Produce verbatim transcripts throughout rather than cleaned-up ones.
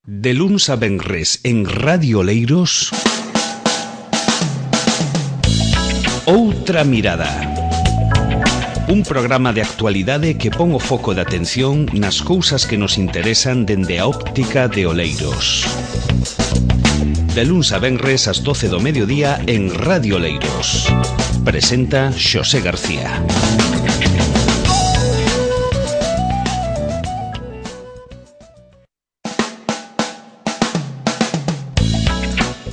De luns a venres en Radio Oleiros, Outra Mirada. Un programa de actualidade que pon o foco de atención nas cousas que nos interesan dende a óptica de Oleiros. De luns a venres ás doce do mediodía en Radio Oleiros. Presenta Xosé García.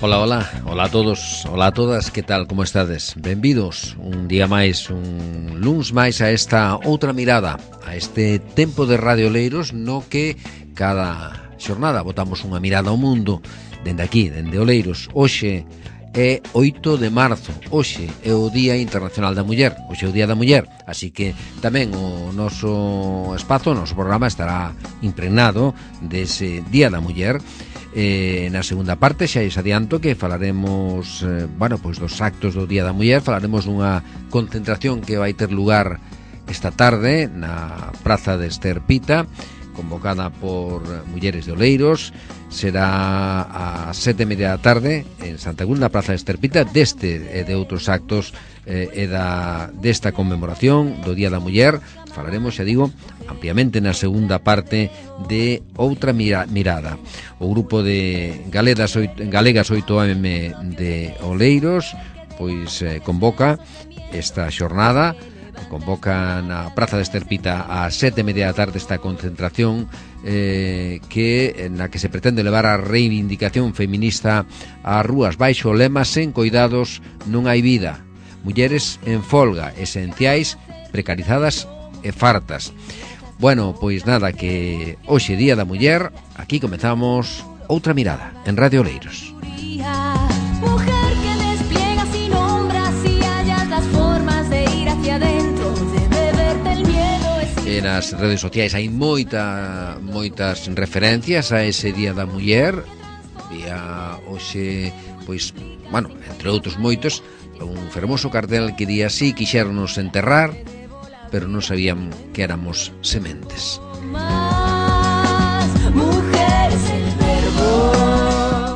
Ola, ola, ola a todos, ola a todas, que tal, como estades? Benvidos un día máis, un luns máis a esta outra mirada, a este tempo de Radio Oleiros no que cada xornada botamos unha mirada ao mundo dende aquí, dende Oleiros. Hoxe é oito de marzo, hoxe é o Día Internacional da Muller, hoxe é o Día da Muller, así que tamén o noso espazo, o noso programa estará impregnado dese Día da Muller. Eh, na segunda parte xa es adianto que falaremos eh, bueno, pois dos actos do Día da Muller. Falaremos dunha concentración que vai ter lugar esta tarde na Praza de Ester Pita, convocada por mulleres de Oleiros. Será a sete e media da tarde en Santa Cruz, na Praza de Ester Pita. Deste e de outros actos eh, e da, desta conmemoración do Día da Muller falaremos, xa digo, ampliamente na segunda parte de Outra Mirada. O grupo de Galegas oito eme de Oleiros pois eh, convoca esta xornada, convoca na Praza de Ester Pita a sete e media da tarde esta concentración eh, que na que se pretende levar a reivindicación feminista ás rúas baixo o lema "Sen coidados non hai vida". Mulleres en folga, esenciais, precarizadas e fartas. Bueno, pois nada, que hoxe Día da Muller, aquí comezamos Outra Mirada en Radio Oleiros. Mujer que despliega sin sombras y hallas las formas de ir hacia adentro, de beberte el miedo. E nas redes sociais hai moita, moitas referencias a ese Día da Muller. Vía hoxe, pois, bueno, entre outros moitos, un fermoso cartel que di así: quixéronos enterrar, pero non sabían que éramos sementes.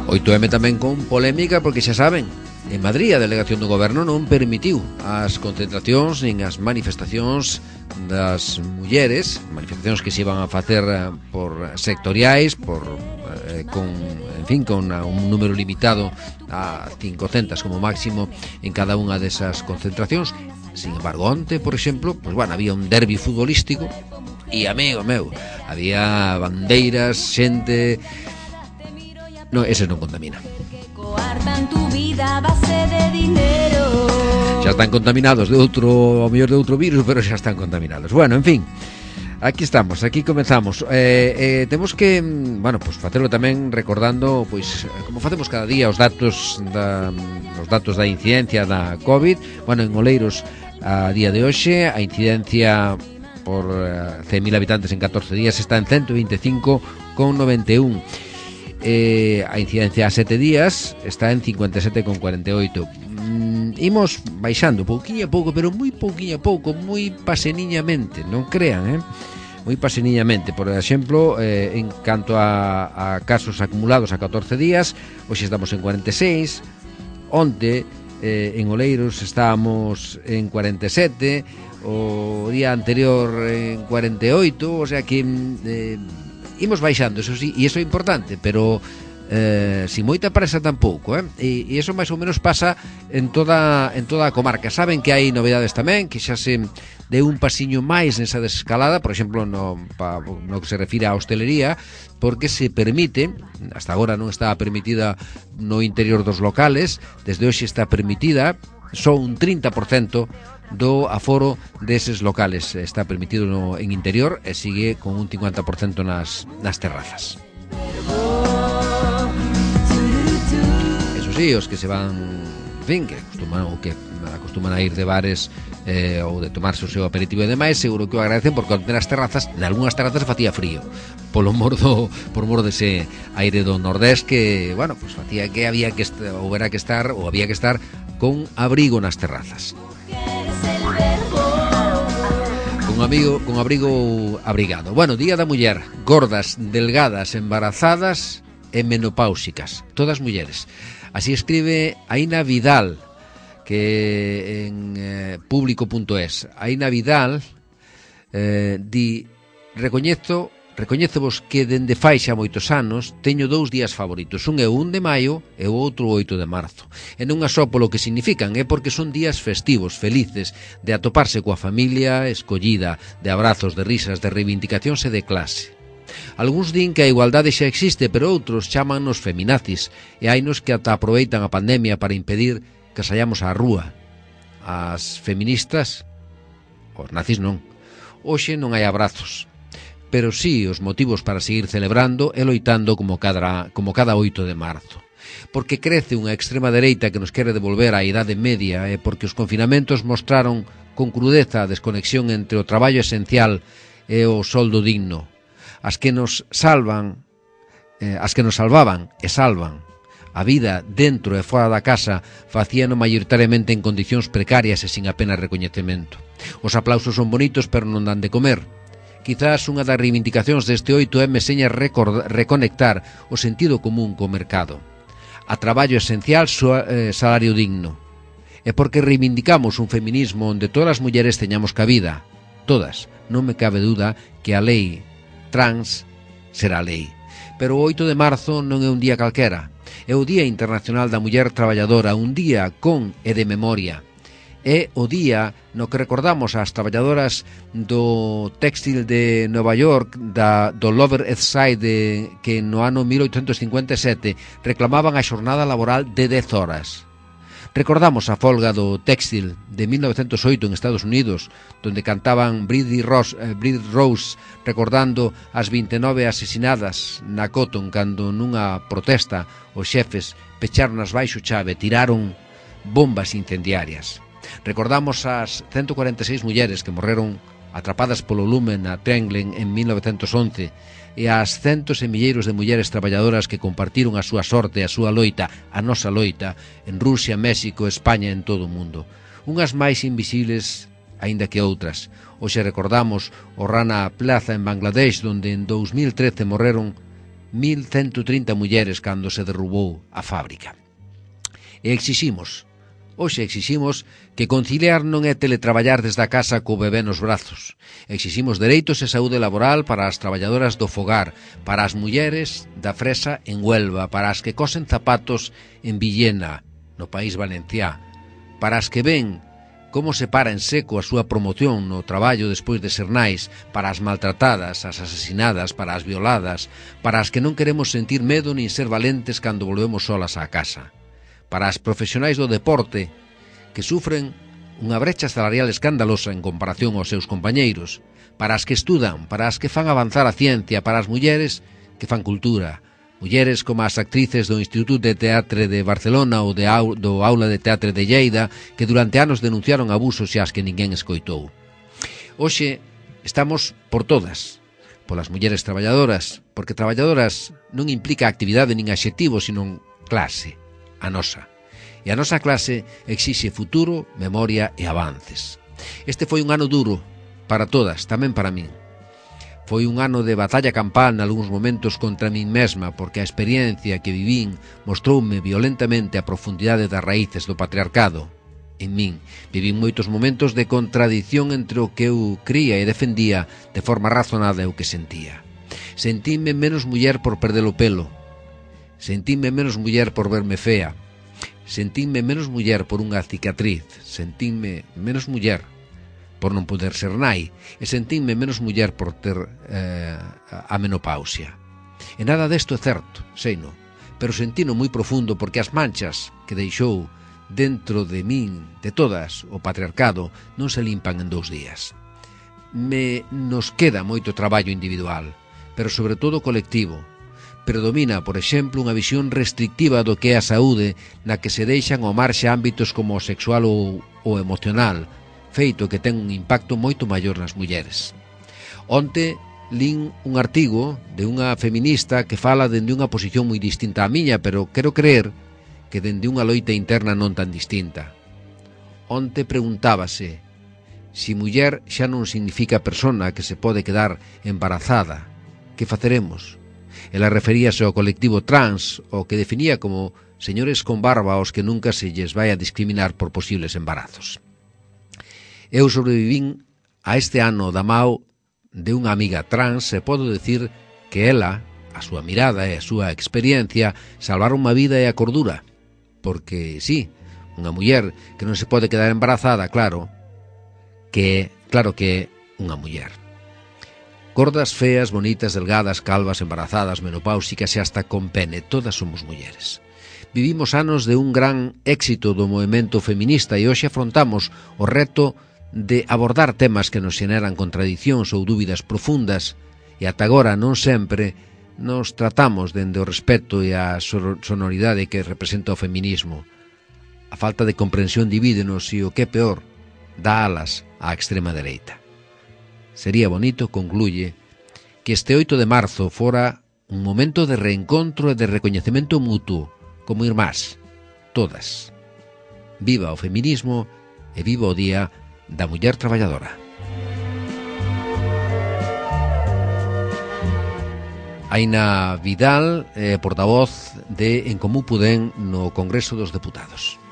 oito eme tamén con polémica, porque xa saben, en Madrid a delegación do goberno non permitiu as concentracións nin as manifestacións das mulleres, manifestacións que se iban a facer por sectoriais, por eh, con, en fin, con un número limitado a cincocentas como máximo en cada unha desas concentracións. Sin embargo, onte, por exemplo, pues, bueno, había un derbi futbolístico e, amigo meu, había bandeiras, xente. No, ese non contamina. Xa están contaminados de outro, ao mellor de outro virus, pero xa están contaminados. Bueno, en fin, aquí estamos, aquí comenzamos. Eh, eh, temos que, bueno, pues facelo tamén recordando, pois, como facemos cada día, os datos da, os datos da incidencia da COVID. Bueno, en Oleiros, a día de hoxe, a incidencia por cen mil habitantes en catorce días está en ciento veinticinco coma noventa e un. Eh, a incidencia a sete días está en cincuenta e sete coma cuarenta e oito. Mm, imos baixando pouquiño a pouco, pero moi pouquiño a pouco, moi paseniñamente, non crean, eh? Moi paseniñamente. Por exemplo, eh, en canto a, a casos acumulados a catorce días, hoxe estamos en cuarenta e seis. Onte eh, en Oleiros estábamos en cuarenta e sete, o día anterior en cuarenta e oito, o sea que eh, imos baixando, eso sí, e iso é importante, pero eh, sin moita presa tampouco, eh? E, e iso máis ou menos pasa en toda en toda a comarca. Saben que hai novedades tamén, que xa se deu un pasiño máis nesa desescalada, por exemplo, no, pa, no que se refire á hostelería, porque se permite, hasta agora non estaba permitida no interior dos locales, desde hoxe está permitida, só un trinta por cento do aforo deses locales está permitido no, en interior, e sigue con un cincuenta por cento nas, nas terrazas. Eso sí, os que se van, en fin, que acostuman, ou que acostuman a ir de bares eh, ou de tomarse o seu aperitivo e demais, seguro que o agradecen, porque nas terrazas, en algunhas terrazas facía frío polo mor do, por mor dese aire do nordés que, bueno, pues facía que había que estar, ou era que estar, ou había que estar con abrigo nas terrazas. Con amigo, con abrigo ou abrigado. Bueno, Día da Muller, gordas, delgadas, embarazadas e menopáusicas, todas mulleres. Así escribe Aina Vidal, que en eh, público punto es. Aina Vidal eh, di, recoñezo Recoñézovos que dende fai xa moitos anos teño dous días favoritos. Un é o un de maio e o outro o oito de marzo. E non é só polo que significan, é porque son días festivos, felices, de atoparse coa familia escollida, de abrazos, de risas, de reivindicacións e de clase. Algúns din que a igualdade xa existe, pero outros chámannos feminazis, e hainos que ata aproveitan a pandemia para impedir que saiamos á rúa. As feministas, os nazis non. Hoxe non hai abrazos, pero sí os motivos para seguir celebrando e loitando como cada, como cada oito de marzo. Porque crece unha extrema dereita que nos quere devolver á idade media e porque os confinamentos mostraron con crudeza a desconexión entre o traballo esencial e o soldo digno. As que nos salvan, eh, as que nos salvaban e salvan a vida dentro e fora da casa facíano maioritariamente en condicións precarias e sin apenas recoñecemento. Os aplausos son bonitos pero non dan de comer. Quizás unha das reivindicacións deste oito eme seña reconectar o sentido común co mercado. A traballo esencial, eh, salario digno. E porque reivindicamos un feminismo onde todas as mulleres teñamos cabida. Todas. Non me cabe duda que a lei trans será lei. Pero o oito de marzo non é un día calquera. É o Día Internacional da Muller Traballadora, un día con e de memoria. É o día no que recordamos as traballadoras do téxtil de Nova York, da, do Lower East Side, de, que no ano mil oitocentos cincuenta e sete reclamaban a xornada laboral de dez horas. Recordamos a folga do téxtil de mil novecentos oito en Estados Unidos, donde cantaban Bridie Rose, eh, Bridie Rose recordando as vinte e nove asesinadas na Cotton cando nunha protesta os xefes pecharon as baixo chave, tiraron bombas incendiarias. Recordamos as ciento cuarenta e seis mulleres que morreron atrapadas polo lume na Trenglen en mil novecentos once e as centos e milleiros de mulleres traballadoras que compartiron a súa sorte, a súa loita, a nosa loita, en Rusia, México, España e en todo o mundo. Unhas máis invisibles aínda que outras. Hoxe recordamos o Rana Plaza en Bangladesh, onde en dous mil trece morreron mil ciento trinta mulleres cando se derrubou a fábrica. E exiximos Hoxe exiximos que conciliar non é teletraballar desde a casa co bebé nos brazos. Exiximos dereitos e saúde laboral para as traballadoras do fogar, para as mulleres da fresa en Huelva, para as que cosen zapatos en Villena, no País Valenciá, para as que ven como se para en seco a súa promoción no traballo despois de ser nais, para as maltratadas, as asesinadas, para as violadas, para as que non queremos sentir medo nin ser valentes cando volvemos solas á casa. Para as profesionais do deporte que sufren unha brecha salarial escandalosa en comparación aos seus compañeiros, para as que estudan, para as que fan avanzar a ciencia, para as mulleres que fan cultura, mulleres como as actrices do Instituto de Teatre de Barcelona ou de, do Aula de Teatre de Lleida que durante anos denunciaron abusos e as que ninguén escoitou. Hoxe estamos por todas, polas mulleres traballadoras, porque traballadoras non implica actividade nin adxetivo, sino clase. A nosa. E a nosa clase exixe futuro, memoria e avances. Este foi un ano duro para todas, tamén para min. Foi un ano de batalla campal nalgúns momentos contra min mesma, porque a experiencia que vivín mostroume violentamente a profundidade das raíces do patriarcado. En min, vivín moitos momentos de contradición entre o que eu cría e defendía de forma razonada e o que sentía. Sentíme menos muller por perder o pelo. Sentíme menos muller por verme fea. Sentíme menos muller por unha cicatriz. Sentíme menos muller por non poder ser nai. E sentíme menos muller por ter eh, a menopausia. E nada desto é certo, seino. Pero sentino moi profundo porque as manchas que deixou dentro de min, de todas, o patriarcado, non se limpan en dous días. Me nos queda moito traballo individual, pero sobre todo colectivo. Predomina, por exemplo, unha visión restrictiva do que é a saúde na que se deixan ao marxe ámbitos como o sexual ou o emocional, feito que ten un impacto moito maior nas mulleres. Onte lín un artigo de unha feminista que fala dende unha posición moi distinta á miña, pero quero creer que dende unha loita interna non tan distinta. Onte preguntábase Si muller xa non significa persona que se pode quedar embarazada, que faceremos? Ela referíase ao colectivo trans, o que definía como señores con barba aos que nunca se lles vai a discriminar por posibles embarazos. Eu sobrevivín a este ano da mao de unha amiga trans e podo decir que ela, a súa mirada e a súa experiencia salvaron unha vida e a cordura. Porque, sí, unha muller que non se pode quedar embarazada, claro, que, claro que é unha muller. Gordas, feas, bonitas, delgadas, calvas, embarazadas, menopáusicas e hasta con pene, todas somos mulleres. Vivimos anos de un gran éxito do movemento feminista e hoxe afrontamos o reto de abordar temas que nos xeneran contradicións ou dúbidas profundas e ata agora non sempre nos tratamos dende o respeto e a sonoridade que representa o feminismo. A falta de comprensión divídenos e o que é peor, dá alas á extrema dereita. Sería bonito, concluye, que este oito de marzo fora un momento de reencontro e de recoñecemento mutuo, como irmás, todas. Viva o feminismo e viva o Día da Muller Traballadora. Aina Vidal, eh, portavoz de En Común Podem no Congreso dos Deputados.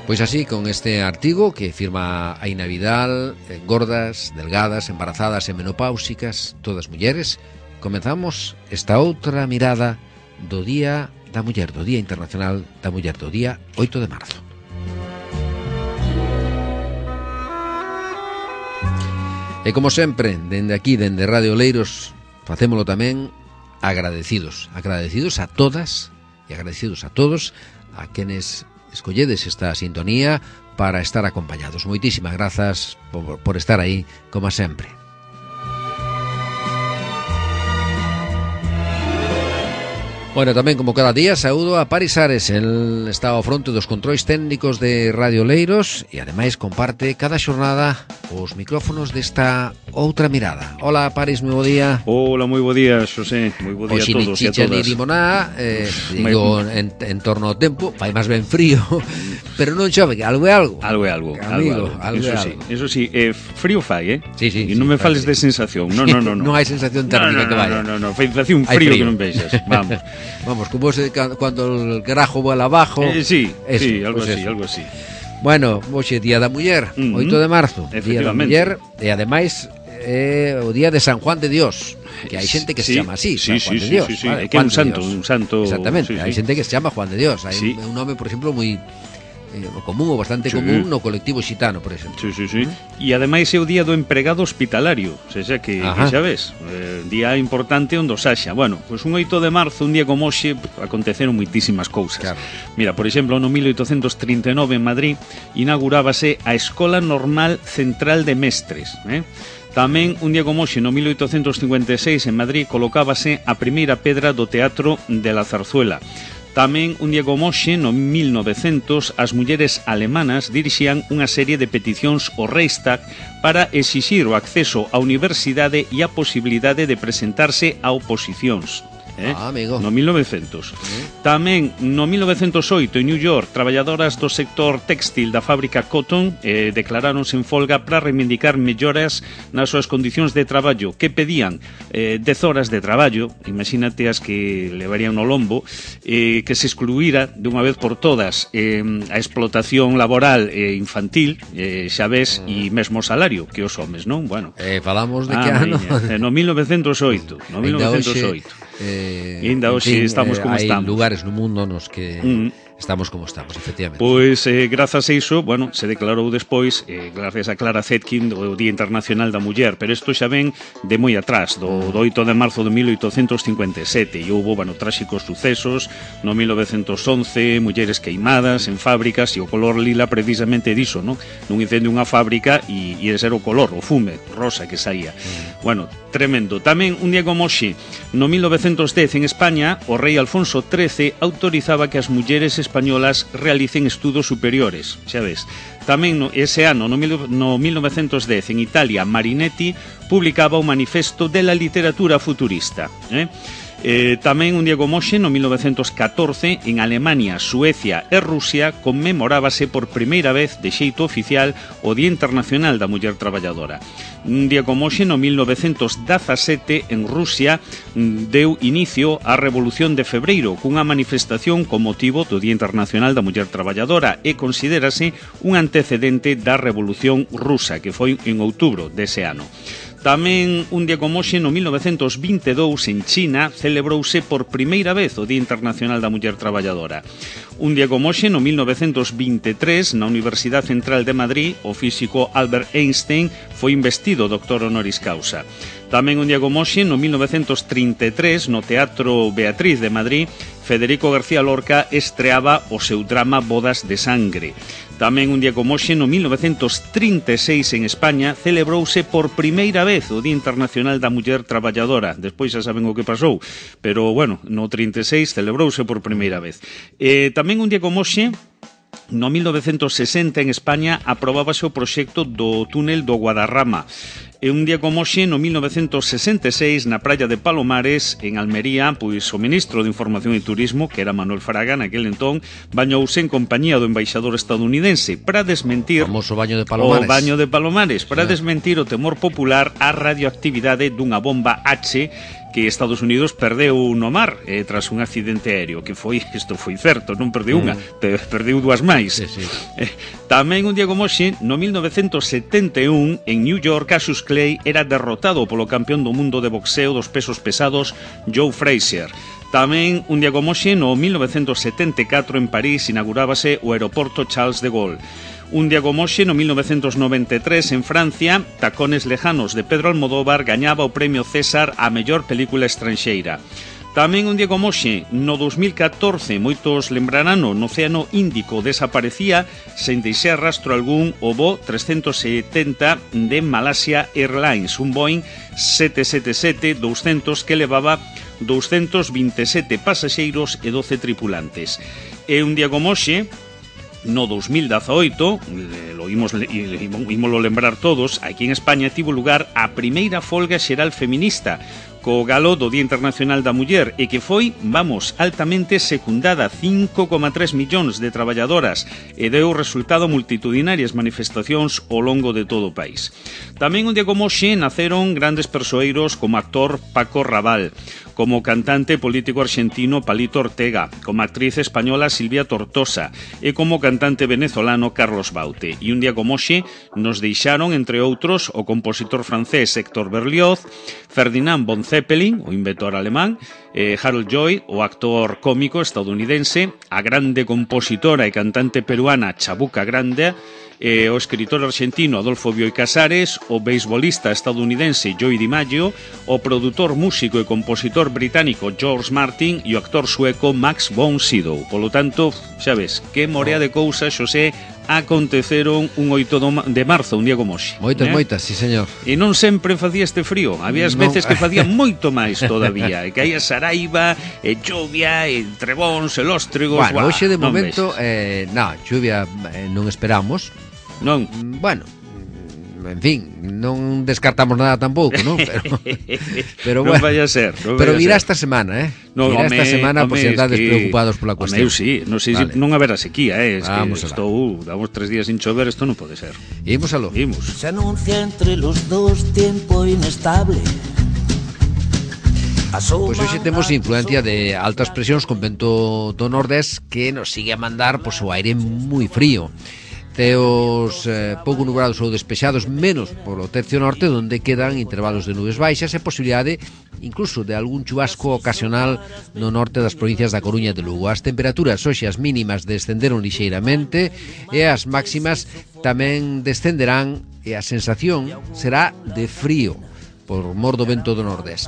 Pois así, con este artigo que firma Aina Vidal, eh, gordas, delgadas, embarazadas e menopáusicas, todas mulleres, comenzamos esta outra mirada do Día da Muller, do Día Internacional da Muller, do día oito de marzo. E como sempre, dende aquí, dende Radio Oleiros, facémolo tamén agradecidos, agradecidos a todas e agradecidos a todos a quenes escolledes esta sintonía para estar acompañados. Moitísimas grazas por, por estar aí, como sempre. Bueno, tamén como cada día saúdo a Paris Ares. El está ao fronte dos controis técnicos de Radio Oleiros e ademais comparte cada xornada os micrófonos desta outra mirada. Hola Paris, moi bo día. Hola, moi bo día, Xosé. Moi bo día a todos e a todas. Ni limoná, eh, digo, en, en torno ao tempo, fai máis ben frío, pero non chove, que algo é algo. Algo é algo. Amigo, algo, algo, eso é sí, algo. eso sí, eh, frío fai, eh? Sí, sí. E non me fales de sensación. No, no, no, no. Non hai sensación térmica no, no, que vaya. No, no, no, sensación frío, frío que non vexas. Vamos. Vamos, como se, cuando el carajo vuela abajo. Eh, sí, eso, sí, algo pues así, eso. algo así. Bueno, hoxe Día da Muller, uh-huh. oito de marzo, Día da Muller, e ademais é o Día de San Juan de Dios, que hai xente que sí, se chama así, sí, San Juan sí, de Dios. Sí, sí, sí. Vale, que é un santo, Dios. un santo. Exactamente, sí, hai sí. xente que se chama Juan de Dios, hai sí. un, un nome, por exemplo, moi eh, común ou bastante sí. común no colectivo xitano, por exemplo. Sí, sí, sí. E ademais é o día do empregado hospitalario, o sea, que, que xa ves, eh, día importante onde os haxa. Bueno, pois pues un oito de marzo, un día como hoxe, aconteceron moitísimas cousas. Claro. Mira, por exemplo, no mil oitocentos trinta e nove en Madrid inaugurábase a Escola Normal Central de Mestres, eh? Tamén, un día como hoxe, no mil oitocentos cincuenta e seis en Madrid colocábase a primeira pedra do Teatro de la Zarzuela. Tamén, un día como hoxe, no mil novecientos, as mulleres alemanas dirixían unha serie de peticións ao Reichstag para exixir o acceso á universidade e a posibilidade de presentarse a oposicións. Eh? Ah, amigo. No mil novecientos. Uh-huh. Tamén no mil novecentos oito en New York, traballadoras do sector textil da fábrica Cotton eh, declaráronse en folga para reivindicar melloras nas súas condicións de traballo, que pedían eh, dez horas de traballo, imagínate as que levarían no lombo, eh, que se excluíra de unha vez por todas eh, a explotación laboral eh, infantil, eh, xa ves, uh-huh. e mesmo salario que os homes, non? Bueno, eh, falamos de ah, que ano? Eh, no mil novecentos oito, no mil novecentos oito. Eh, e ainda hoxe estamos como hai estamos. Hai lugares no mundo nos que mm. estamos como estamos, efectivamente. Pois, eh, grazas a iso, bueno, se declarou despois, eh, gracias a Clara Zetkin, o Día Internacional da Muller, pero isto xa ven de moi atrás, do, do oito de marzo de mil oitocentos cincuenta e sete, e houve, bueno, tráxicos sucesos, no mil novecentos once, mulleres queimadas en fábricas, e o color lila precisamente diso, non? Nun incendio unha fábrica, e, e ese era o color, o fume rosa que saía. Mm. Bueno, tremendo. Tamén, un día como hoxe, no mil novecentos dez en España, o rei Alfonso trece autorizaba que as mulleres españolas realicen estudos superiores, xa ves. Tamén no, ese ano, no, mil, no mil novecentos dez, en Italia, Marinetti publicaba o Manifesto de la Literatura Futurista. Eh? Eh, tamén un día como hoxe, no mil novecentos catorce, en Alemania, Suecia e Rusia conmemorábase por primeira vez de xeito oficial o Día Internacional da Muller Traballadora. Un día como hoxe, no mil novecentos dezasete, en Rusia, deu inicio á Revolución de Febreiro cunha manifestación con motivo do Día Internacional da Muller Traballadora e considérase un antecedente da Revolución Rusa, que foi en outubro dese ano. Tamén un día como hoxe, no mil novecentos vinte e dous, en China, celebrouse por primeira vez o Día Internacional da Muller Traballadora. Un día como hoxe, no mil novecentos vinte e tres, na Universidade Central de Madrid, o físico Albert Einstein foi investido doctor honoris causa. Tamén un día como hoxe, no mil novecentos trinta e tres, no Teatro Beatriz de Madrid, Federico García Lorca estreaba o seu drama Bodas de Sangre. Tamén un día como hoxe, no mil novecentos trinta e seis, en España, celebrouse por primeira vez o Día Internacional da Muller Traballadora. Despois xa saben o que pasou, pero, bueno, no trinta e seis celebrouse por primeira vez. Eh, tamén un día como hoxe, no mil novecentos sesenta, en España, aprobábase o proxecto do túnel do Guadarrama. E un día como hoxe, no mil novecentos sesenta e seis, na praia de Palomares, en Almería, pois o ministro de Información e Turismo, que era Manuel Fraga, naquel entón, bañouse en compañía do embaixador estadounidense para desmentir o famoso baño de Palomares. O baño de Palomares, para sí. desmentir o temor popular á radioactividade dunha bomba H que Estados Unidos perdeu no mar eh, tras un accidente aéreo, que foi, isto foi certo, non perdeu unha, mm. perdeu dúas máis. Sí, sí. Eh, tamén un día como hoxe, no mil novecentos setenta e un, en New York, Cassius Clay era derrotado polo campeón do mundo de boxeo dos pesos pesados, Joe Frazier. Tamén un día como hoxe, no mil novecentos setenta e catro, en París, inaugurábase o aeroporto Charles de Gaulle. Un día como hoxe, no mil novecentos noventa e tres, en Francia, Tacones lejanos, de Pedro Almodóvar, gañaba o premio César a mellor película estranxeira. Tamén un día como hoxe, no dos mil catorce, moitos lembrarán, no Océano Índico desaparecía, sen deixar rastro algún, o voo trescentos setenta de Malasia Airlines, un Boeing sete sete sete doscientos que levaba doscientos vinte e sete pasaxeiros e doce tripulantes. E un día como hoxe, no dos mil dezaoito, lo imos, imoslo lembrar todos, aquí en España tivo lugar a primeira folga xeral feminista co galo do Día Internacional da Muller e que foi, vamos, altamente secundada, cinco coma tres millóns de traballadoras e deu resultado multitudinarias manifestacións ao longo de todo o país. Tamén un día como hoxe naceron grandes persoeiros como actor Paco Raval, como cantante político argentino Palito Ortega, como actriz española Silvia Tortosa e como cantante venezolano Carlos Baute. E un día como hoxe nos deixaron, entre outros, o compositor francés Héctor Berlioz, Ferdinand von Zeppelin, o inventor alemán, eh, Harold Lloyd, o actor cómico estadounidense, a grande compositora e cantante peruana Chabuca Grande, eh, o escritor argentino Adolfo Bioy Casares, o beisbolista estadounidense Joey DiMaggio, o produtor, músico e compositor británico George Martin e o actor sueco Max von Sydow. Polo tanto, xa ves, que morea de cousas, Xosé, aconteceron un oito de marzo, un día como hoxe. Moitas, eh? moitas, sí, señor. E non sempre facía este frío, había as veces non. que facía moito máis todavía, e caía saraiva, e chuvia, e trebóns, e lóstregos. Bueno, hoxe de non momento, eh, na, chuvia eh, non esperamos. Non. Bueno, en fin, non descartamos nada tampouco, non? Pero, pero non bueno, vaya a ser, non pero virá ser. esta semana, eh? No, virá home, esta semana, home, por si andades es que, preocupados pola cuestión. Home, eu sí, non sei vale. se non haberá sequía, eh? Es Vamos que estou, damos tres días sin chover, isto non pode ser. Imos aló. Imos. Se anuncia entre los dos tiempo inestable. Pois hoxe temos influencia de altas presións con vento do nordés que nos sigue a mandar pois, o aire moi frío. Teos eh, pouco nubrados ou despexados, menos polo tercio norte, onde quedan intervalos de nubes baixas e posibilidade incluso de algún chubasco ocasional no norte das provincias da Coruña e de Lugo. As temperaturas hoxe as mínimas descenderon lixeiramente e as máximas tamén descenderán e a sensación será de frío por mor do vento do nordés.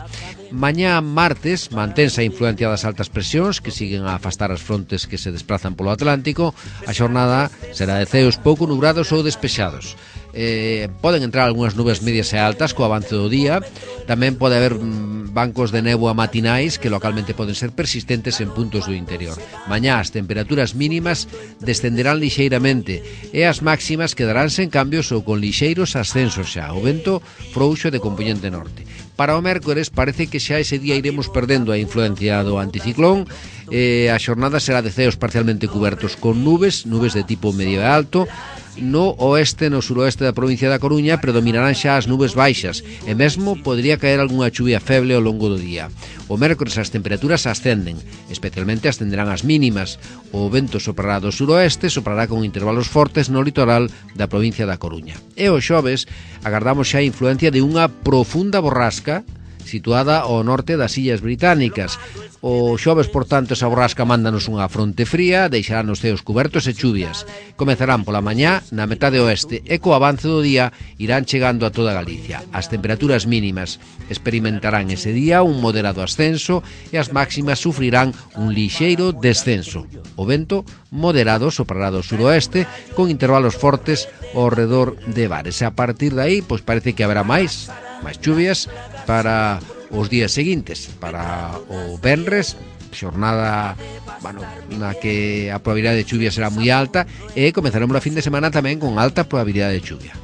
Mañá martes mantense a influencia das altas presións que siguen a afastar as frontes que se desplazan polo Atlántico. A xornada será de ceos pouco nubrados ou despexados. eh, poden entrar algunhas nubes medias e altas co avance do día. Tamén pode haber mm, bancos de néboa matinais que localmente poden ser persistentes en puntos do interior. Mañá as temperaturas mínimas descenderán lixeiramente e as máximas quedaránse en cambios ou con lixeiros ascensos xa. O vento frouxo de componente norte. Para o mércores parece que xa ese día iremos perdendo a influencia do anticiclón. eh, A xornada será de ceos parcialmente cubertos con nubes, nubes de tipo medio e alto. No oeste e no suroeste da provincia da Coruña predominarán xa as nubes baixas e mesmo podría caer algunha chuvia feble ao longo do día. O mércores as temperaturas ascenden, especialmente ascenderán as mínimas. O vento soprará do suroeste, soprará con intervalos fortes no litoral da provincia da Coruña. E o xoves agardamos xa a influencia de unha profunda borrasca situada ao norte das Illas Británicas. O xoves, por tanto, esa borrasca mándanos unha fronte fría, deixará nos ceos cubertos e chuvias. Comezarán pola mañá na metade oeste e co avance do día irán chegando a toda Galicia. As temperaturas mínimas experimentarán ese día un moderado ascenso e as máximas sufrirán un lixeiro descenso. O vento moderado soprará do suroeste con intervalos fortes ao redor de bares. E a partir de aí, pois parece que haberá máis, máis chuvias para os días seguintes, para o venres, xornada, bueno, na que a probabilidade de chuvia será moi alta e comezaremos a fin de semana tamén con alta probabilidade de chuvia.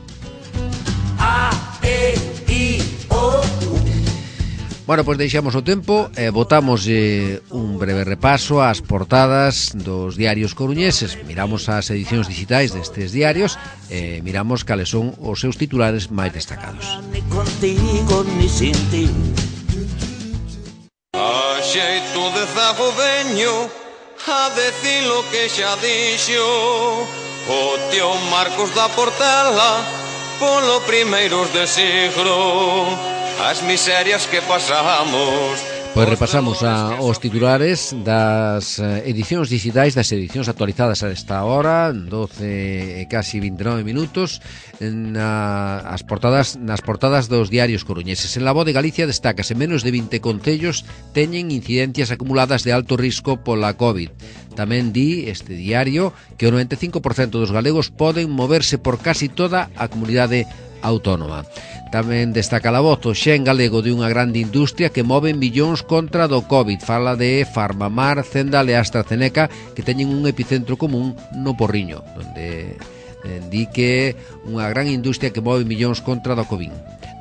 Bueno, pois deixamos o tempo e botamos eh, un breve repaso ás portadas dos diarios coruñeses. Miramos as edicións digitais destes diarios e miramos cales son os seus titulares máis destacados. Ni contigo ni sin ti. A xeito de zago veño a decir lo que xa dixo o tío Marcos da Portela polo primeiros de siglo. As miserias que pasamos. Pois repasamos a, os titulares das edicións digitais, das edicións actualizadas a esta hora, doce e casi vinte e nove minutos, na, as portadas, nas portadas dos diarios coruñeses. En La Voz de Galicia destacase menos de vinte concellos teñen incidencias acumuladas de alto risco pola COVID. Tamén di este diario que o noventa e cinco por cento dos galegos poden moverse por casi toda a comunidade autónoma. Tamén destaca La Voz o xen galego de unha grande industria que move millóns contra do COVID. Fala de Farmamar, Zendal e AstraZeneca que teñen un epicentro común no Porriño, onde eh, di que unha gran industria que move millóns contra do COVID,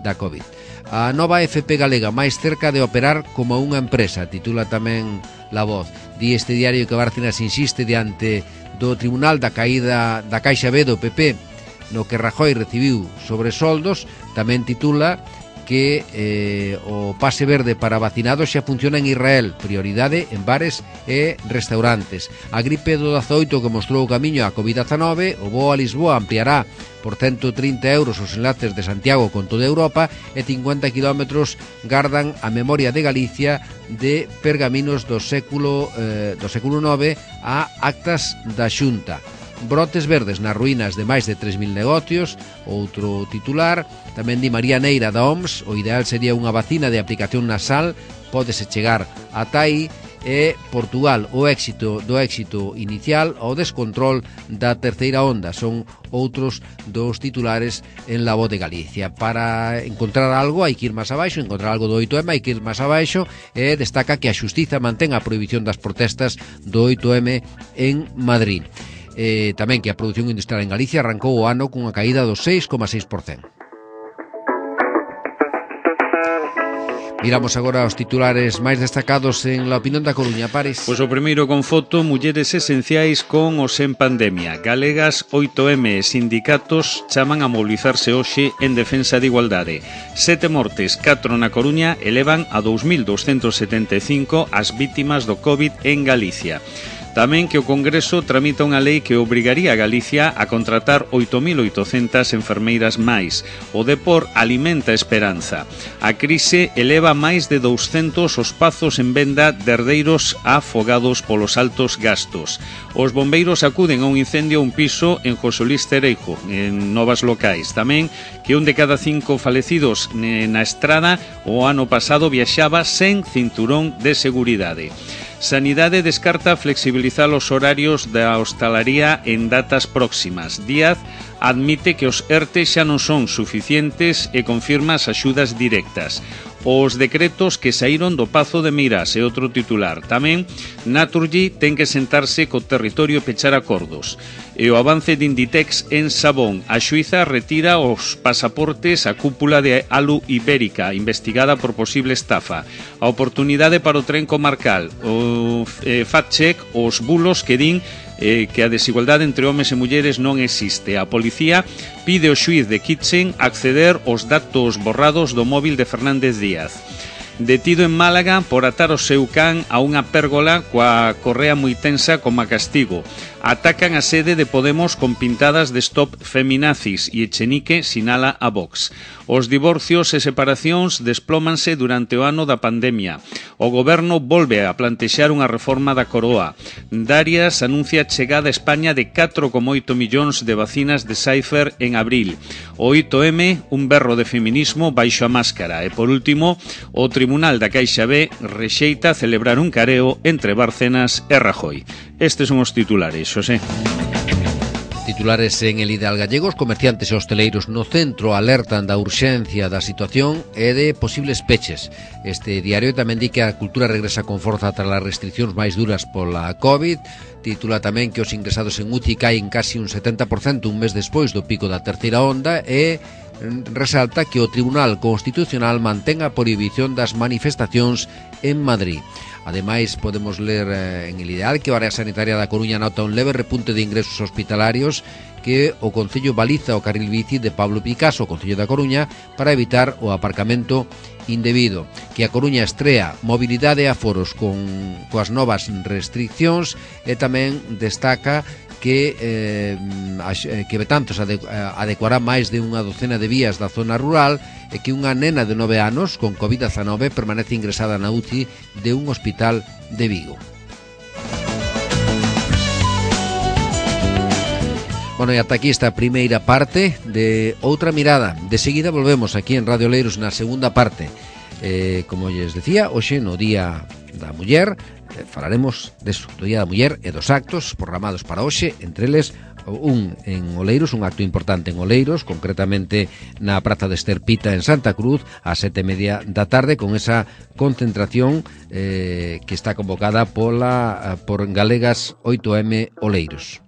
da COVID. A nova F P galega máis cerca de operar como unha empresa, titula tamén La Voz. Di este diario que Bárcenas insiste diante do Tribunal da caída da Caixa B do P P no que Rajoy recibiu sobresoldos. Tamén titula que eh, o pase verde para vacinados xa funciona en Israel, prioridade en bares e restaurantes. A gripe do dezaoito que mostrou o camiño á COVID dezanove, o voo a Lisboa ampliará por ciento trinta euros os enlaces de Santiago con toda Europa e cincuenta kilómetros gardan a memoria de Galicia de pergaminos do século eh, do século nove a actas da Xunta. Brotes verdes nas ruínas de máis de tres mil negocios. Outro titular tamén di María Neira da O M S: o ideal sería unha vacina de aplicación nasal, pódese chegar ata aí. E Portugal, o éxito do éxito inicial ao descontrol da terceira onda. Son outros dos titulares en La Voz de Galicia. Para encontrar algo hai que ir máis abaixo, encontrar algo do oito eme hai que ir máis abaixo, e destaca que a Xustiza mantén a prohibición das protestas do oito eme en Madrid. Eh, tamén que a produción industrial en Galicia arrancou o ano cunha caída do seis coma seis por cento. Miramos agora os titulares máis destacados en La Opinión da Coruña. Pares. Pois o primeiro con foto: mulleres esenciais con os en pandemia. Galegas, oito eme e sindicatos chaman a mobilizarse hoxe en defensa de igualdade. Sete mortes, catro na Coruña, elevan a dous mil douscentos setenta e cinco as vítimas do COVID en Galicia. Tamén que o Congreso tramita unha lei que obrigaría a Galicia a contratar oito mil oitocentas enfermeiras máis. O Depor alimenta esperanza. A crise eleva máis de douscentos os pazos en venda de herdeiros afogados polos altos gastos. Os bombeiros acuden a un incendio a un piso en José Luís Cereijo, en Novas Locais. Tamén que un de cada cinco falecidos na estrada o ano pasado viaxaba sen cinturón de seguridade. Sanidade descarta flexibilizar os horarios da hostalaría en datas próximas. Díaz admite que os ERTE xa non son suficientes e confirma as axudas directas. Os decretos que saíron do Pazo de Meirás é outro titular. Tamén, Naturgy ten que sentarse co territorio e pechar acordos. E o avance de Inditex en Sabón. A xuíza retira os pasaportes á cúpula de Alu Ibérica, investigada por posible estafa. A oportunidade para o tren comarcal. O eh, fact-check os bulos que din eh, que a desigualdade entre homes e mulleres non existe. A policía pide ao xuíz de Kitchen acceder aos datos borrados do móvil de Fernández Díaz. Detido en Málaga por atar o seu can a unha pérgola coa correa moi tensa como a castigo. Atacan a sede de Podemos con pintadas de Stop Feminazis e Echenique sinala a Vox. Os divorcios e separacións desplómanse durante o ano da pandemia. O goberno volve a plantexar unha reforma da coroa. Darias anuncia a chegada a España de catro coma oito millóns de vacinas de Pfizer en abril. O oito eme, un berro de feminismo baixo a máscara. E por último, o Tribunal da Caixa B rexeita celebrar un careo entre Bárcenas e Rajoy. Estes son os titulares, Xosé. Titulares en El Ideal Gallegos. Comerciantes e hosteleiros no centro alertan da urxencia da situación e de posibles peches. Este diario tamén di que a cultura regresa con forza tras as restriccións máis duras pola COVID. Titula tamén que os ingresados en U C I caen casi un setenta por cento un mes despois do pico da terceira onda e resalta que o Tribunal Constitucional mantén a prohibición das manifestacións en Madrid. Ademais, podemos ler eh, en El Ideal que a área sanitaria da Coruña nota un leve repunte de ingresos hospitalarios, que o Concello baliza o carril bici de Pablo Picasso, o Concello da Coruña, para evitar o aparcamento indebido. Que a Coruña estrea mobilidade e aforos con coas novas restriccións e tamén destaca que eh, que Betanzos adecuará máis de unha docena de vías da zona rural e que unha nena de nove anos con covid dezanove permanece ingresada na U C I de un hospital de Vigo. Bueno, e ata aquí esta primeira parte de Outra Mirada. De seguida volvemos aquí en Radio Oleiros na segunda parte. Eh, como lles decía, hoxe no Día da Muller eh, falaremos deso, do Día da Muller e dos actos programados para hoxe, entre eles un en Oleiros, un acto importante en Oleiros, concretamente na Praza de Esterpita en Santa Cruz, a sete e media da tarde, con esa concentración eh, que está convocada pola por Galegas oito eme Oleiros.